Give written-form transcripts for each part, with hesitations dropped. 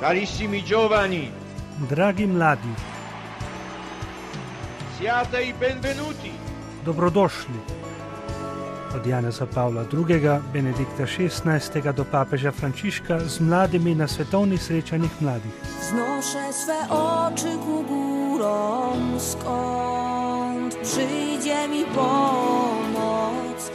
Carissimi giovani, Dragi mladi, siate i benvenuti. dobrodošli. Od Janeza Pavla II., Benedikta XVI. Do papeža Frančiška z mladimi na svetovnih srečanjih mladih. Wznoszę swe oczy ku górom, skąd przyjdzie mi pomoc.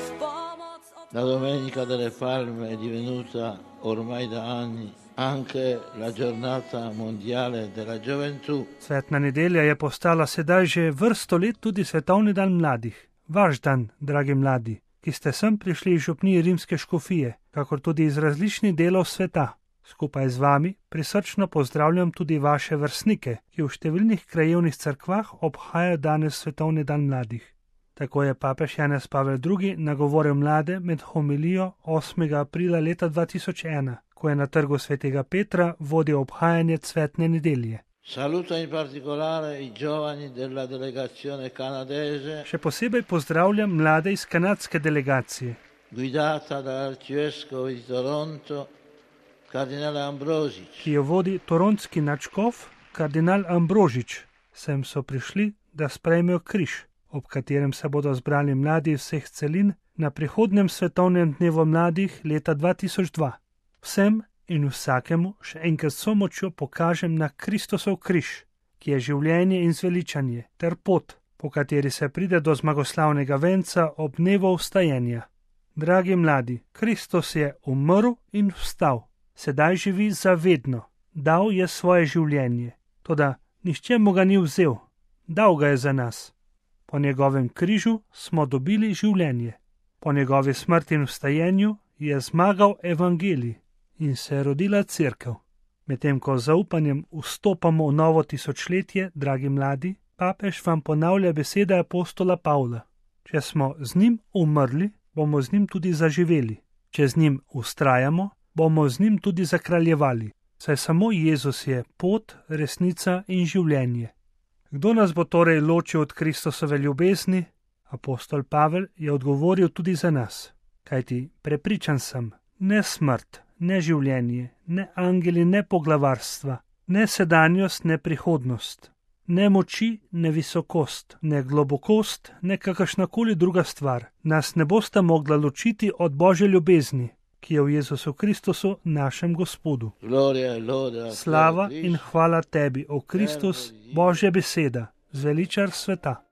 La Domenica delle Palme è divenuta ormai da anni anche la giornata mondiale della gioventù. Svetna nedelja je postala sedaj že vrsto let tudi svetovni dan mladih. Vaš dan, dragi mladi, ki ste sem prišli iz župnije Rimske škofije, kakor tudi iz različnih delov sveta. Skupaj z vami prisrčno pozdravljam tudi vaše vrstnike, ki v številnih krajevnih cerkvah obhajajo danes svetovni dan mladih. Tako je papež Janez Pavel II. Nagovoril mlade med homilijo 8. aprila leta 2001, ko je na trgu svetega Petra vodil obhajanje cvetne nedelje. Saluto in particolare i giovani della delegazione canadese, Še posebej pozdravljam mlade iz kanadske delegacije, guidata dall'arcivescovo di Toronto, kardinale Ambrosič. ki jo vodi toronski nadškof kardinal Ambrožič. Sem so prišli, da sprejmejo križ, ob katerem se bodo zbrali mladi vseh celin na prihodnjem svetovnem dnevu mladih leta 2002. Vsem in vsakemu še enkrat s močjo pokažem na Kristosov križ, ki je življenje in zveličanje, ter pot, po kateri se pride do zmagoslavnega venca ob dnevu vstajenja. Dragi mladi, Kristus je umrl in vstal, sedaj živi zavedno, dal je svoje življenje, toda nihče mu ga ni vzel, dal ga je za nas. Po njegovem križu smo dobili življenje. Po njegovi smrti in vstajenju je zmagal evangelij in se je rodila cerkev. Medtem ko z zaupanjem vstopamo v novo tisočletje, dragi mladi, papež vam ponavlja besede apostola Pavla. Če smo z njim umrli, bomo z njim tudi zaživeli. Če z njim vztrajamo, bomo z njim tudi zakraljevali. Saj samo Jezus je pot, resnica in življenje. Kdo nas bo torej ločil od Kristusove ljubezni? Apostol Pavel je odgovoril tudi za nas. Kajti prepričan sem, ne smrt, ne življenje, ne angeli, ne poglavarstva, ne sedanjost, ne prihodnost, ne moči, ne visokost, ne globokost, ne kakršnakoli druga stvar nas ne bosta mogla ločiti od Božje ljubezni, ki je v Jezusu Kristusu, našem Gospodu. Gloria e lode a Slava te, in hvala tebi, o Kristus, Božja beseda, zveličar sveta.